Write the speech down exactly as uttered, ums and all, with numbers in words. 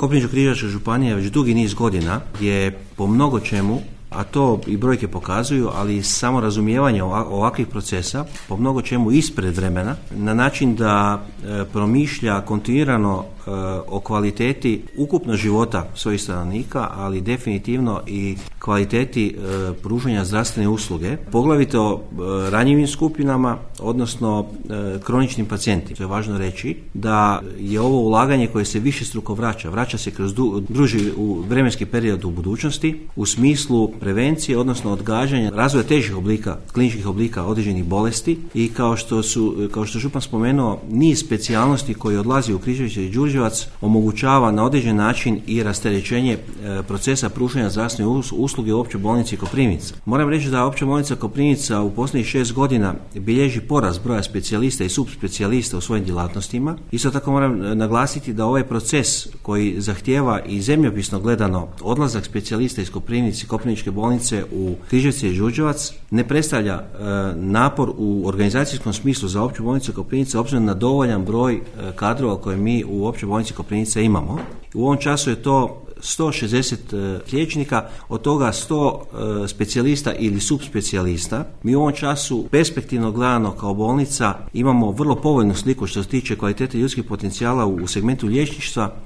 Koprivničko-križevačka županija već dugi niz godina je po mnogo čemu, a to i brojke pokazuju, ali samo razumijevanje ovakvih procesa po mnogo čemu ispred vremena, na način da e, promišlja kontinuirano e, o kvaliteti ukupno života svojih stanovnika, ali definitivno i kvaliteti e, pružanja zdravstvene usluge, poglavito e, ranjivim skupinama, odnosno e, kroničnim pacijentima. To je važno reći da je ovo ulaganje koje se višestruko vraća, vraća se kroz du, duži u vremenski period u budućnosti u smislu prevencije, odnosno odgađanja razvoja težih oblika, kliničkih oblika određenih bolesti i kao što su, kao što župan spomenuo, niz specijalnosti koji odlazi u Križevice i Đurđevac omogućava na određen način i rasterećenje e, procesa pružanja zdravstvene usluge u Općoj bolnici Koprivnica. Moram reći da Opća bolnica Koprivnica u posljednjih šest godina bilježi porast broja specijalista i subspecijalista u svojim djelatnostima. Isto tako moram naglasiti da ovaj proces koji zahtijeva i zemljopisno gledano odlazak specijalista iz Koprivnice, Koprivničke bolnice u Križevce i Đurđevac ne predstavlja e, napor u organizacijskom smislu za Opću bolnicu Koprivnica obzirom na dovoljan broj e, kadrova koje mi u Općoj bolnici Koprivnica imamo. U ovom času je to sto šezdeset e, liječnika, od toga sto e, specijalista ili subspecijalista. Mi u ovom času perspektivno gledano kao bolnica imamo vrlo povoljnu sliku što se tiče kvalitete ljudskih potencijala u, u segmentu liječništva.